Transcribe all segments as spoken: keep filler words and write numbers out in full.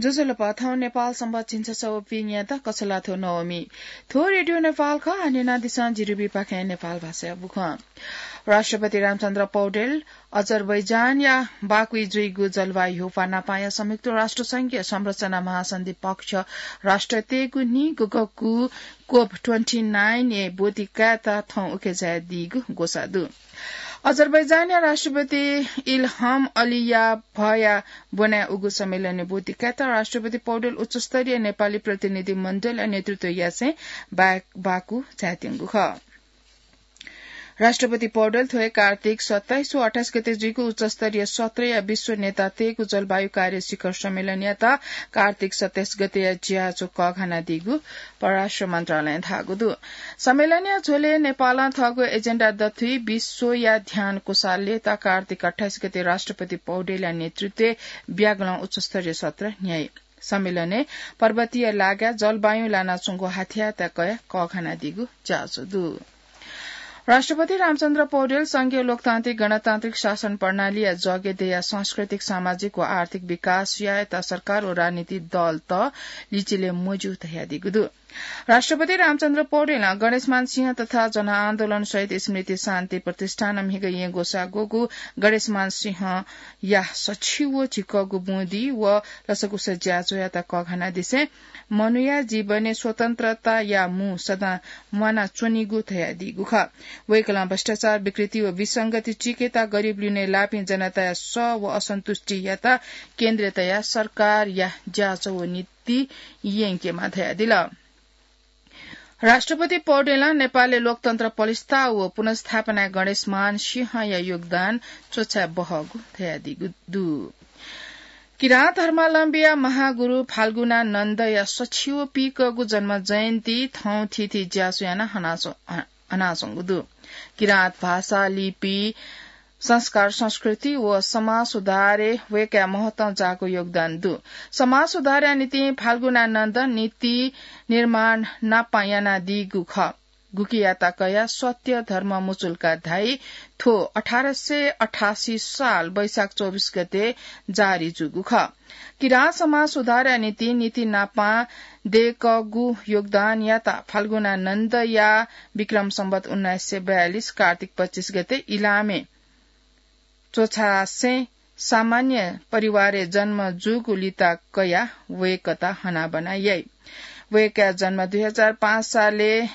ज्वजलपा, थौं नेपाल संवत् झिंछसः व पीन्यात कछलाथ्व नवमी। थ्व रेडियो नेपाल खः, हानेनादिसँ जिरिबी पाखें नेपाल भाषाया बुखँ। राष्ट्रपति रामचन्द्र पौडेल अजरबैजानया बाकुइ जुइगु जलवायु ह्यूपाः नापाया संयुक्त राष्ट्र संघीय संरचना महासन्धि पक्ष राष्ट्रतय्गु निगूगु कोप ट्वेन्टी नाइन ए ब्वति कायेत थौं उखे झायादीगु ग्वसाः दु। अजरबैजानया राष्ट्रपति इल्हम अलियाभया ब्वनाय् उगु सम्मेलनय् ब्वति कायेत राष्ट्रपति पौडेल उच्चस्तरीय नेपाली प्रतिनिधि मण्डलया नेतृत्व यासें बा-, बाकु झायात्यंगु खः। राष्ट्रपति पौडेल थ्व हे कार्तिक सत्ताइस व अट्ठाइस गते जुइगु उच्चस्तरीय सत्रया विश्व नेतातय्गु जलवायु कार्य शिखर सम्मेलनयात कार्तिक सत्ताइस गतेया ज्याझ्वः कःघानादीगु परराष्ट्र मन्त्रालयं धाःगु दु। सम्मेलनया झ्वलय् नेपालं थःगु एजेन्डा दथुइ विश्वया ध्यान कुसालय्त कार्तिक अट्ठाइस गते राष्ट्रपति पौडेलया नेतृत्वय् ब्यागलं उच्चस्तरीय सत्र न्ह्याइ। सम्मेलनय् पर्वतीय लागाय् जलवायुं लानाच्वंगु हाथ्याःत कयाः कःघानादीगु ज्याझ्वः दु। राष्ट्रपति रामचन्द्र पौडेल संघीय लोकतान्त्रिक गणतान्त्रिक शासन प्रणालीया जगय् दयाः सांस्कृतिक, सामाजिक व आर्थिक विकास यायेत सरकार व राजनीतिक दलत लिचिले मज्यू धयादीगु दु। राष्ट्रपति रामचन्द्र पौडेलं गणेशमान सिंह तथा जनआन्दोलन शहीद स्मृति शान्ति प्रतिष्ठानं म्हिगः येँ ग्वसाः ग्वःगु गणेशमान सिंहया सछि व झिक्कःगु बुँदी व लसकुस ज्याझ्वःयात कःघानादिसें मनूया जीवनय् स्वतन्त्रताया मू सदां म्वानाच्वनीगु धयादीगु खः। वय्कलं भ्रष्टाचार, विकृति व विसंगति चीकेत गरिब लिउने लापिं जनताया सः व असन्तुष्टियात केन्द्र तयाः सरकारया ज्याझ्वः व नीति यंकेमाः धयादिल। राष्ट्रपति पौडेलं नेपालय् लोकतन्त्र पलिस्था व पुनर्स्थापनाय् गणेशमान सिंहया योगदान च्वछाये बहःगु धयादीगु दु। किराँत धर्मावलम्बीया महागुरु फाल्गुनानन्दया सछि व पीकःगु जन्म जयन्ती थौं थीथी ज्याझ्वः यानाः हनाच्व-, ह-, हनाच्वंगु दु। किराँत भाषा, लिपि, संस्कार, संस्कृति व समाज सुधारय् वय्कःया महत्तं जाःगु योगदान दु। समाज सुधारया निंतिं फाल्गुनानन्द नीति निर्माण नापं यानादीगु खः। गुकियात कयाः सत्य धर्म मुचुल्का धाइ थ्व अठार सय अठासी साल वैशाख चौबिस गते जारी जूगु खः। किराँत समाज सुधारया निंतिं नीति नापं दय्कःगु योगदानयात फाल्गुनानन्दया विक्रम सम्वत उन्नाइस सय बयालिस कार्तिक पच्चिस गते इलामय् च्वछासें सामान्य परिवारय् जन्म जूगु लिता कयाः वय्कःयात हनाबना याइ। वय्कःया जन्म दुई हजार पाँच सालय्,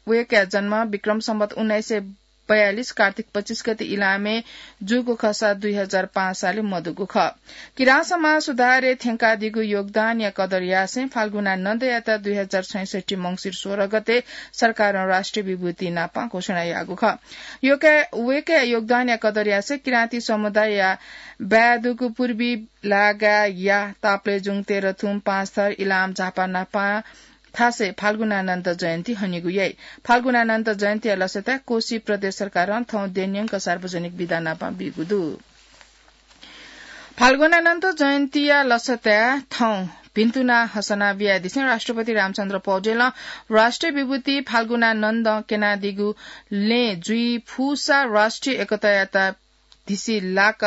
वय्कःया जन्म विक्रम सम्वत उन्नाइस सय बयालिस कार्तिक पच्चिस गते इलामय् जूगु खःसा दुई हजार पाँच सालय् मदुगु खः। किराँत समाज सुधारय् थ्यंकादीगु योगदानया कदर यासें फाल्गुनानन्दयात दुई हजार छैसठ्ठी मंसिर सोह्र गते सरकारं राष्ट्रिय विभूति नापं घोषणा याःगु खः। योके-, वय्कःया योगदानया कदर यासें किराँती समुदायया बाय् दुगु पूर्वी लागाया ताप्लेजुङ, तेह्रथुम, पाँचथर, इलाम, झापा नापं थासय् फाल्गुनानन्द जयन्ती हनीगु याइ। फाल्गुनानन्द जयन्तीया लसताय् कोशी प्रदेश सरकारं थौं देय् न्यंक सार्वजनिक बिदा नापं बीगु दु। फाल्गुनानन्द जयन्तीया लसताय् थौं भिन्तुना हसना बियादिसें राष्ट्रपति रामचन्द्र पौडेलं राष्ट्रिय विभूति फाल्गुनानन्द क्यनादीगु लँय् जुइ फुसा राष्ट्रिय एकतायात धिसिलाक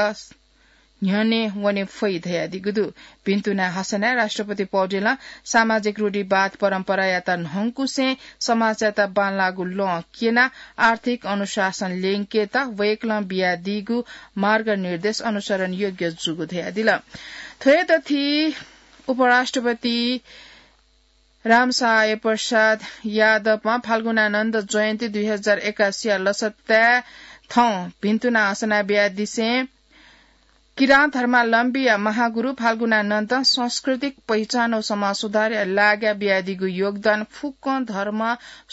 न्ह्यःने वने फइ धयादीगु दु। भिन्तुना हसनाय् राष्ट्रपति पौडेलं सामाजिक रूढिवाद परम्परायात न्हंकुसें समाजयात बांलाःगु लँ क्यनाः आर्थिक अनुशासन ल्यंकेत वय्कलं बियादीगु मार्गनिर्देश अनुसरण योग्य जूगु धयादिल। थ्व हे दथुइ उपराष्ट्रपति रामसहाय प्रसाद यादवं फाल्गुनानन्द जयन्ती दुई हजार एकासीया लसताय् थौं भिन्तुना हसना बियादिसें किराँत धर्मावलम्बीया महागुरु फाल्गुनानन्दं सांस्कृतिक पहिचान व समाज सुधारया लागाय् बियादीगु योगदान फुक्कं धर्म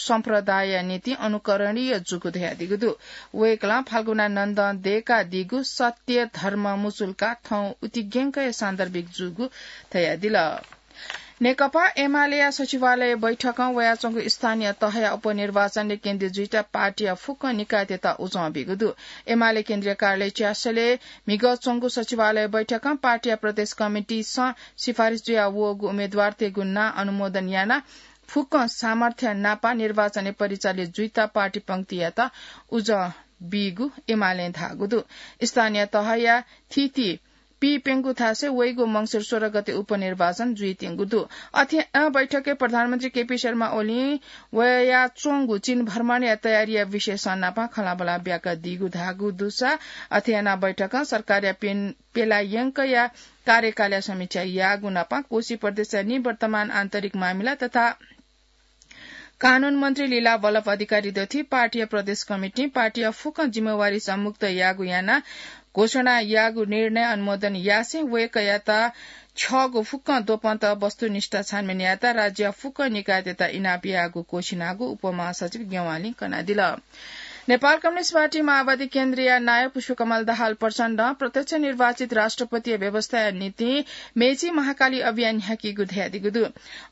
सम्प्रदायया निंतिं अनुकरणीय जूगु धयादीगु दु। वय्कलं फाल्गुनानन्दं दय्कादीगु सत्य धर्म मुचुल्का थौं उतिग्यंक हे सान्दर्भिक जूगु धयादिल। नेकपा एमालेया सचिवालय बैठकं वयाच्वंगु स्थानीय तहया उपनिर्वाचनय् केन्द्रीय जुइत पार्टीया फुक्क निकायतय्त उजं बीगु दु। एमाले केन्द्रीय कार्यालय च्यासलय् म्हिगः च्वंगु सचिवालय बैठकं पार्टीया प्रदेश कमिटीसं सिफारिस जुया वःगु उम्मेदवारतय्गु नां अनुमोदन यानाः फुक्कं सामर्थ्य नापं निर्वाचनय् परिचालित जुइत पार्टी पंक्तियात उजं बीगु एमालें धाःगु दु। स्थानीय तहया थीथी पीप्यंगु थासय् वइगु मंसिर सोह्र गते उपनिर्वाचन जुइत्यंगु दु। अथे बैठकय् प्रधानमन्त्री केपी शर्मा ओलीं वयाच्वंगु चीन भ्रमणया तयारीया विषयसं नापं खँल्हाबल्हा ब्याकादीगु धाःगु दुसा अथे यानाः बैठकं सरकारया पेन-, पेलायंकया कार्यकालया समीक्षा याःगु नापं कोशी प्रदेशया निवर्तमान आन्तरिक मामिला तथा कानून मन्त्री लीला वल्लभ अधिकारी दथुइ पार्टीया प्रदेश कमिटिं पार्टीया फुक्क जिम्मेवारीसं मुक्त याःगु यानाः घोषणा याःगु निर्णय अनुमोदन यासें वय्कःयात छ्यःगु फुक्क द्वपंत वस्तुनिष्ठ छानबिन यायेत राज्यया फुक्क निकायतय्त इनाप याःगु क्वःछिनागु उपमहासचिव गेवालीं कनादिल। नेपाल कम्युनिस्ट पार्टी माओवादी केन्द्रया नायः पुष्पकमल दाहाल प्रचण्डं प्रत्यक्ष निर्वाचित राष्ट्रपतिया व्यवस्थाया निंतिं मेची महाकाली अभियान न्ह्याकीगु धयादीगु दु।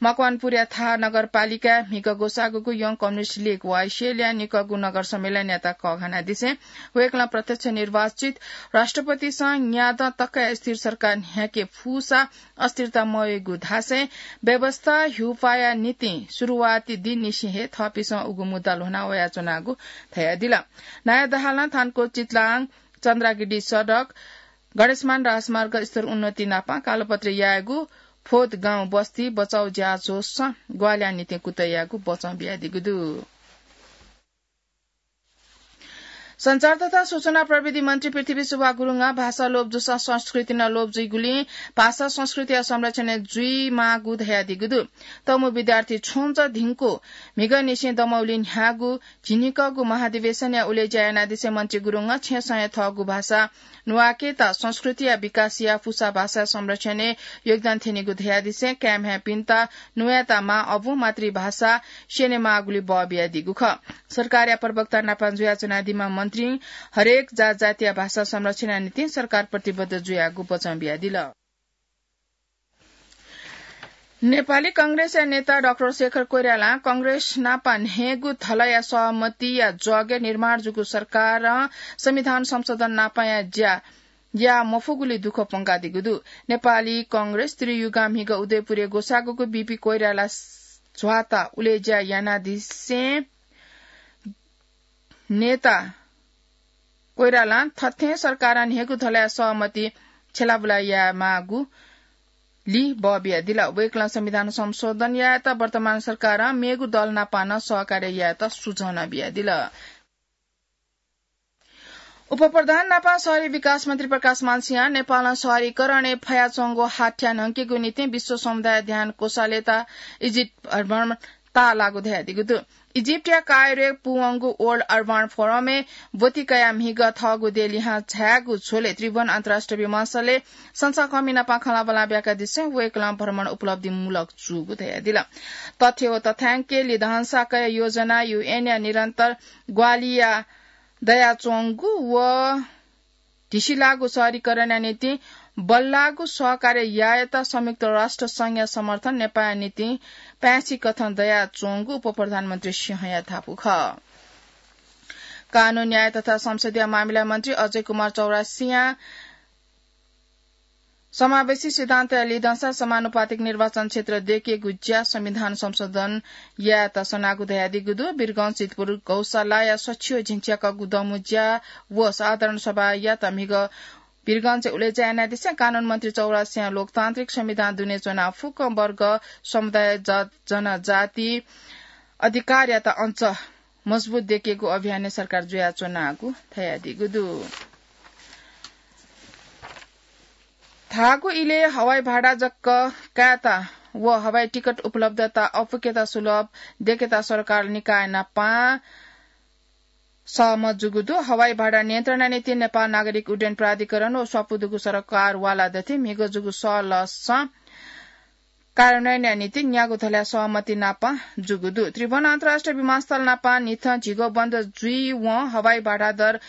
मकवानपुरया थाहा नगरपालिकाय् म्हिगः ग्वसाःगुगु Young Communist League, वाइसिएलया निकःगु नगर सम्मेलनयात कःघानादिसें वय्कलं प्रत्यक्ष निर्वाचित राष्ट्रपतिसं न्यादँ तकया स्थिर सरकार न्ह्याके फुसा अस्थिरता मवयेगु धासें व्यवस्था ह्यूपाःया निंतिं सुरुवाती दिंनिसें हे थःपिन्सं उगु मुद्दा ल्ह्वना वयाच्वनागु धयादिल। नायः दाहालं थानकोट चितलाङ चन्द्रागिडी सडक, गणेशमान राजमार्ग स्तर उन्नति नापं कालोपत्री यायेगु, फोत गाउँ बस्ती बचाउ ज्याझ्वलय् ग्वाहालिया निंतिं कुतः यायेगु बचं बियादीगु दु। सञ्चार तथा सूचना प्रविधि मन्त्री पृथ्वी सुब्बा गुरुङं भाषा लोप जूसां संस्कृति नं लोप जुइगुलिं भाषा संस्कृतिया संरक्षण जुइमाःगु धयादीगु दु। तमु विद्यार्थी छ्वंचा धिंकु म्हिगःनिसें दमौली न्ह्याःगु झिंनिकःगु महाधिवेशनया उलेज्या यानादिसें मन्त्री गुरुङं छेँसं हे थःगु भाषा न्वाकेत संस्कृतिया विकासया फुसा भाषा संरक्षणय् योगदान थ्यनीगु धयादिसें काय् म्ह्याय्‌पिन्त न्वयेत मां अबुं मातृभाषा स्यनेमाःगुली बः बियादीगु खः। सरकारया प्रवक्ता नापं जुयाच्वनादीम्ह मन्त्रीं हरेक जातजातिया भाषा संरक्षणया निंतिं सरकार प्रतिबद्ध जुयागु बचं बियादिल। नेपाली कांग्रेसया नेता डाक्टर शेखर कोइरालां कांग्रेस नापं न्हय्‌गू धलया सहमतिया जगय् निर्माण जूगु सरकारं संविधान संशोधन नापंया ज्या याये मफुगुली दुःख प्वंकादीगु दु। नेपाली कांग्रेस त्रियुगां म्हिगः उदयपुरय् ग्वसाःगुगु बीपी कोइराला झ्वाता उलेज्या यानादिसें नेता कोइरालां थथें सरकारं न्हय्‌गू धलया सहमति छ्यलाबुला यायेमाःगुली बः बियादिल। वय्‌कलं संविधान संशोधन यायेत वर्तमान सरकारं मेगु दल नापं नं सहकार्य यायेत सुझाव नं बियादिल। उपप्रधान नापं शहरी विकास मन्त्री प्रकाशमान सिंहं नेपालं शहरीकरणय् फयाच्वंगु हाथ्या न्हंकेगु निंतिं विश्व समुदाय ध्यान कोषालय्‌त इजिप्ट भ्रमण ताःलाःगु धयादीगु दु। इजिप्टया कायरोय् पूवंगु World Urban Forumय् ब्वति कयाः म्हिगः थःगु देय् लिहां झायेगु झ्वलय् त्रिभुवन अन्तर्राष्ट्रिय विमानस्थलय् संसाकःमि नापं खँल्हाबल्हा ब्याकादिसें वय्‌कलं भ्रमण उपलब्धिमूलक जूगु धयादिल। तथ्य व तथ्यांकय् लिधंसा कया योजना, युएनया निरन्तर ग्वाहालिया दयाच्वंगु व धिसिलाःगु शहरीकरणया निंतिं बल्लाःगु सहकार्य यायेत संयुक्त राष्ट्र संघया समर्थन नेपाःया निंतिं पाय्‌छि कथं दयाच्वंगु उपप्रधानमन्त्री सिंहया धापू खः। कानून, न्याय तथा संसदीय मामिला मन्त्री अजय कुमार चौरसियां समावेशी सिद्धान्तया लिधंसा समानुपातिक निर्वाचन क्षेत्र दयेकेगु ज्या संविधान संशोधन यायेत सनागु धयादीगु दु। वीरगंज, सिद्धपुर, गौशालाया सछियो झिंच्याकःगु दमु ज्या व साधारण सभायात म्हिगः वीरगंजय् उलेज्या यानादिसें कानून मन्त्री चौरसियां लोकतान्त्रिक संविधान दुने च्वनाः फुक्क वर्ग, समुदाय, जात, जनजाति अधिकारयात अझ मजबुत दयेकेगु अभियानय् सरकार जुयाच्वनागु धयादीगु दु। धाःगु इलय् हवाई भाडा जक कायेत व हवाई टिकट उपलब्धता अपुकेत सुलभ दयेकेत सरकार निकाय नापं सहमत जूगु दु। हवाई भाडा नियन्त्रणया निंतिं नेपाल नागरिक उड्डयन प्राधिकरण व स्वापू दुगु सरकारवाला दथुइ म्हिगः जूगु सहलहसं कार्यान्वयनया निंतिं न्यागू धलया सहमति नापं जूगु दु। त्रिभुवन अन्तर्राष्ट्रिय विमानस्थल नापं न्हिथं झिगः बन्द जुइवं हवाई भाडा दर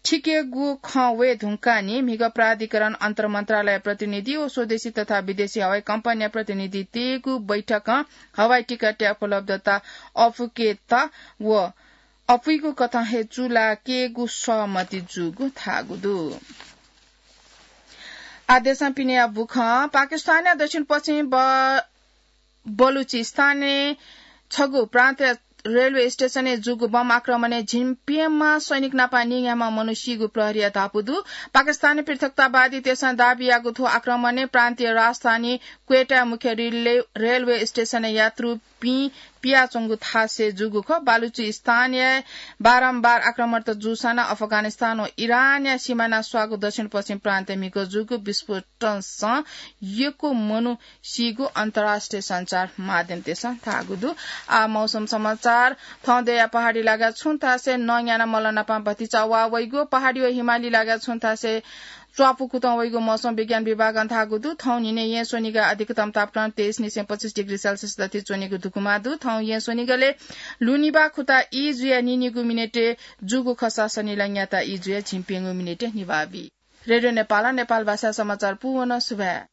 थिकेगु खँ वये धुंकाः नि म्हिगः प्राधिकरण अन्तर मन्त्रालय प्रतिनिधि व स्वदेशी तथा विदेशी हवाई कम्पनीया प्रतिनिधि तयेगु बैठकं हवाई टिकटया उपलब्धता अपुकेत व अपुइगु कथं हे चूलाकेगु सहमति जूगु धाःगु दु। आदेशं पिनेया बुखं पाकिस्तानया दक्षिण पश्चिम ब-, बलुचिस्तानय् छगू प्रान्तय् रेलवे स्टेशनय् जूगु बम आक्रमणय् झिंप्यम्ह सैनिक नापं निंग्याम्ह मनू सीगु प्रहरीया धापू दु। पाकिस्तानी पृथकतावादीतय्सं दाबी याःगु थ्व आक्रमणय् प्रान्तीय राजधानी क्वेटाया मुख्य रेलवे, रेलवे स्टेशनय् यात्रुपिं पियाच्वंगु थासय् जूगु खः। बालुचिस्तानय् बारम्बार आक्रमणत जूसां नं अफगानिस्तान व इरानया सिमाना स्वाःगु दक्षिण पश्चिम प्रान्त म्हिगः जूगु विस्फोट टनसं यक्व मनू सीगु अन्तर्राष्ट्रिय सञ्चार माध्यमतय्सं धाःगु दु। आ, मौसम समाचार। थौं देया पहाडी लागा छुं थासय् नंग्याना मल नापं भतिचा वा वइगु, पहाडी व हिमाली लागा छुं थासय् च्वापु कुतं वइगु मौसम विज्ञान विभागं धाःगु दु। थौं न्हिनय् येँ स्वनिगः अधिकतम तापक्रम तेइस निसें पच्चिस डिग्री सेल्सियस दथि च्वनेगु धुकुमा दु। थौं येँ स्वनिगलय् लुनिबा खुता ई जुया निनिगु मिनेटय् जूगु खसा सनिला न्याता ई जुया झिंप्यंगु मिनेटय् निभाबी। रेडियो नेपालं नेपाल भाषा समाचार पूवन सुभाय्।